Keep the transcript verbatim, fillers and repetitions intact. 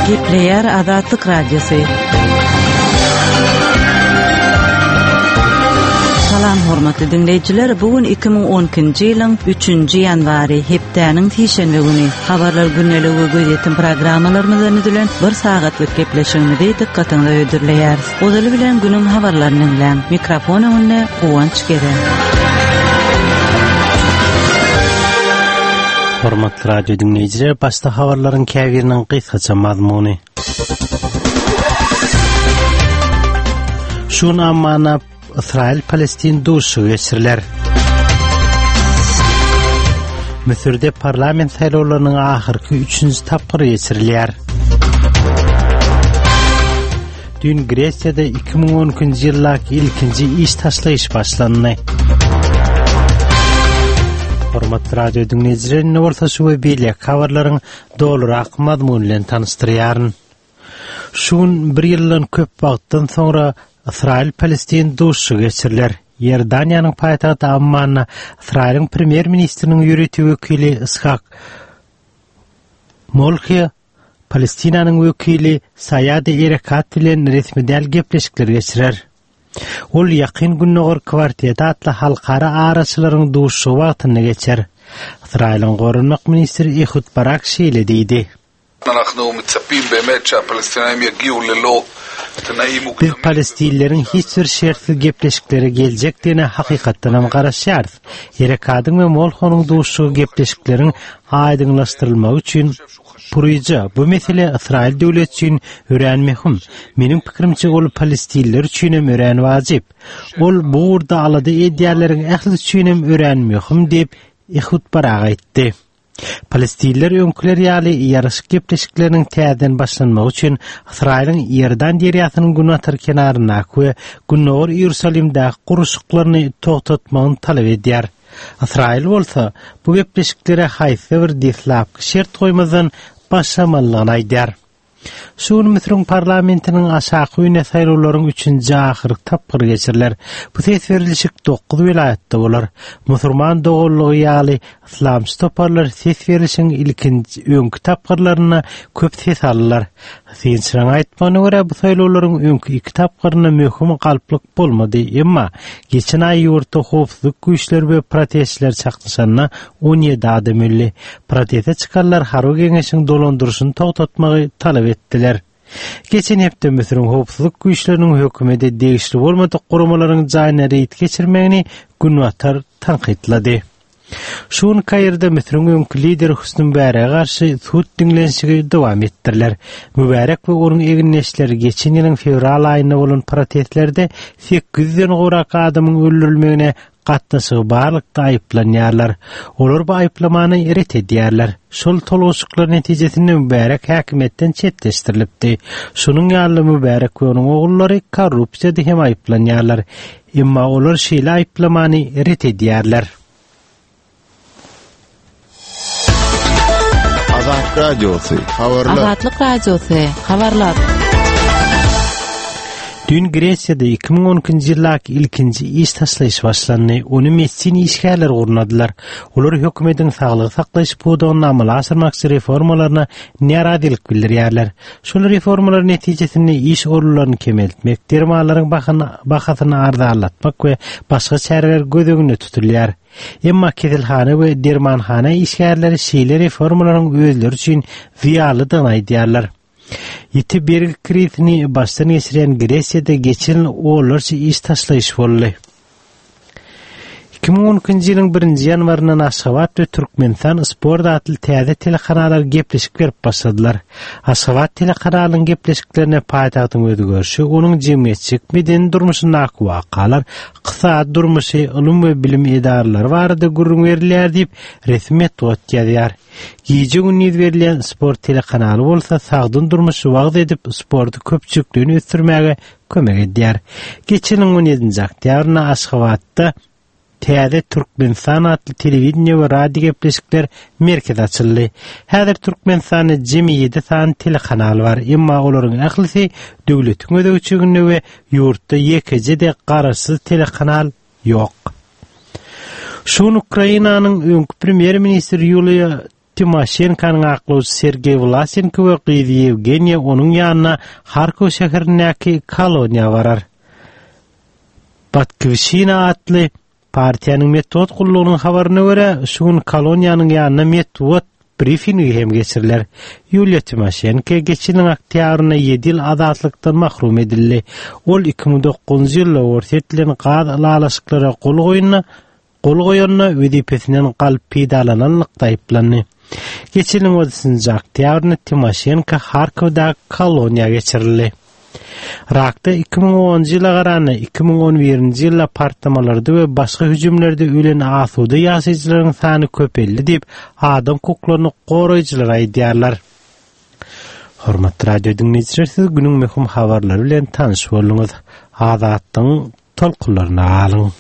Gepleýär Azatlyk Radiosy. Salam hormatly dinleýjiler, bu gün iki müň on ikinji ýylyň üçünji ýanwary, hepdäniň sişenbe güni. Habarlar gündeligi we gözýetim programmalarymyzdan düzülen bir sagatlyk gepleşigimizi dykgatyňyza hödürleýäris. Ozaly bilen günüň habarlaryny diňläň. Mikrofon öňünde Guwanç Gere. Hormatly radio dinleýjiler, başda habarlaryň käbiriniň gysgaça mazmuny. Şu gün Ammana Ysraýyl-Palestin duşuşygy geçiriler. Müsürde parlament saýlawlarynyň ahyrky üçünji tapgyry geçirilýär. Düýn Gresiýada iki müň on ikinji ýyldaky ilkinji iş taşlaýyş başlandy. Hormatly radio dinleýjiler, indi bolsa şu we beýleki habarlaryň dolurak mazmuny bilen tanyşdyrýaryn. Şu gün bir ýyldan köp wagtdan soňra Ysraýyl-Palestin duşuşygy geçiriler. Iordaniýanyň paýtagty Ammanda Ysraýylyň premýer-ministriniň ýörite wekili Ishak Molhi Palestinanyň wekili Saýad Erekat bilen resmi däl gepleşikler geçirer. Ol Ýakyn Gündogar kwarteti atly halkara araçylaryň duşuşygy wagtynda geçer. Ysraýylyň goranmak ministri Ehud Barak şeýle diýdi. Biz palestinleriň hiç bir şertsiz gepleşiklere geljekdigine hakykatdanam garaşýarys. Erekadyň we Molhonyň duşuşygy gepleşikleriň aýdyňlaşdyrylmagy üçin puryja. Bu mesele Ysraýyl döwleti üçin örän möhüm. Meniň pikirimçe, ol palestinler üçinem örän wajyp. Ol bu ugurda alada edýänleriň ählisi üçinem örän möhüm diýip, Ehud Barak aýtdy. Palestinler öňküler ýaly ýaraşyk gepleşikleriniň täzeden başlanmagy üçin Ysraýylyň Iordan derýasynyň günbatar kenaryndaky we Gündogar Iýerusalimdäki gurluşyklaryny togtatmagyny talap edýär. Ysraýyl bolsa bu gepleşiklere haýsy bir deslapky şert goýmazdan başlamalydygyny aýdýar. Şu gün Müsüriň parlamentiniň aşaky öýüne saýlawlaryň üçünji ahyrky tapgyry geçiriler. Bu ses berilişik dokuz welaýatda bolar. Musulman doganlygy ýaly yslamçy toparlar ses berlişigiň ilkinji öňki tapgyrlarynda köp ses aldylar. Synçylaryň aýtmagyna görä, bu saýlawlaryň öňki iki tapgyrynda möhüm galplyk bolmady. Emma geçen aý ýurtda howpsuzlyk güýçleri we protestçiler çaknyşanda on ýedi adam öldi. Proteste çykanlar harby geňeşiň dolandyryşyny togtatmagy talap etdiler. Geçen hepde Müsüriň howpsuzlyk güýçleriniň hökümete degişli bolmadyk guramalaryň jaýyna reýd geçirmegini Günbatar tankytlady. Şu gün Kairde Müsüriň öňki lideri Hüsni Mübärege garşy sud diňlenişigi dowam etdiriler. Mübärek we onuň egindeşleri geçen ýylyň fewral aýynda bolan protestlerde sekiz ýüzden gowrak adamyň öldürilmegine gatnaşygy barlykda aýyplanýarlar. Olar bu aýyplamany ret edýärler. Şol tolguşyklar netijesinde Mübärek häkimiýetden çetleşdirilipdi. Şunuň ýaly Mübärek we onuň ogullary korrupsiýada hem aýyplanýarlar. Emma olar şeýle aýyplamany ret edýärler. Azatlyk Radiosy, habarlar. Azatlyk Radiosy, habarlar. Düýn Gresiýada iki müň on ikinji ýyldaky ilkinji iş taşlaýyş başlandy. Ony medisina işgärleri gurnadylar. Olar hökümetiň saglygy saklaýyş pudagynda amala aşyrmakçy reformalaryna närazylyk bildirýärler. Şol reformalar netijesinde iş orunlaryny kemeltmek, dermanlaryň bahasyny arzanlatmak we başga çäreler göz öňünde tutulýar. Emma keselhana we dermanhana işgärleri şeýle reformalaryň özleri üçin zyýanlydygyny aýdýarlar. Ýiti bergi krizini başdan geçirýän Gresiýada geçen ýyl onlarça iş taşlaýyş boldy. Iki müň on ikinji ýylyň birinji ýanwaryndan Aşgabat we Türkmenistan Sport atly täze telekanallar gepleşik berip başladylar. Aşgabat telekanalynyň gepleşiklerine paýtagtyň özgerişi, onuň jemgyýetçilik medeni durmuşyndaky wakalar, ykdysady durmuşy, ylym we bilim edaralary barada gürrüň berilýär diýip resmi metbugat ýazýar. Gije-gündiz berilýän sport telekanaly bolsa sagdyn durmuşy wagyz edip, sporty köpçülikleýin ösdürmäge kömek edýär. Geçen ýylyň on ýedinji oktýabrynda Aşgabatda Täze Türkmenistan atly telewideniýe we radio gepleşikler merkezi açyldy. Häzir Türkmenistanda jemi ýedi sany telekanal bar, emma olaryň ählisi döwletiň gözegçiliginde we ýurtda ýekeje-de garaşsyz telekanal ýok. Şu gün Ukrainanyň öňki premýer-ministri Ýuliýa Timoşenkonyň aklawçysy Sergeý Vlasenko we gyzy Ýewgeniýa onuň ýanyna Harkow şäherindäki koloniýa barar. Batkiwşina atly partiýanyň metbugat gullugynyň habaryna görä, şu gün koloniýanyň ýanyna metbugat brifingi hem geçiriler. Ýuliýa Timoşenko geçen ýylyň oktýabrynda ýedi ýyl azatlykdan mahrum edildi. Ol iki müň dokuzynjy ýylda Orsýet bilen gaz ylalaşyklara gol goýanda gol goýanda wezipesinden galyp peýdalananlykda aýyplandy. Geçen ýylyň otuzynjy oktýabrynda Timoşenko Harkowdaky koloniýa geçirildi. Yrakda iki müň onunjy ýyla garanda iki müň on birinji ýylda partlamalarda we başga hüjümlerde ölen asuda ýaşaýjylaryň sany köpeldi diýip, adam hukuklaryny goraýjylar aýdýarlar. Hormatly radio diňleýjiler, siz günüň möhüm habarlary bilen tanyş bolduňyz. Azatlygyň tolkunlaryna galyň.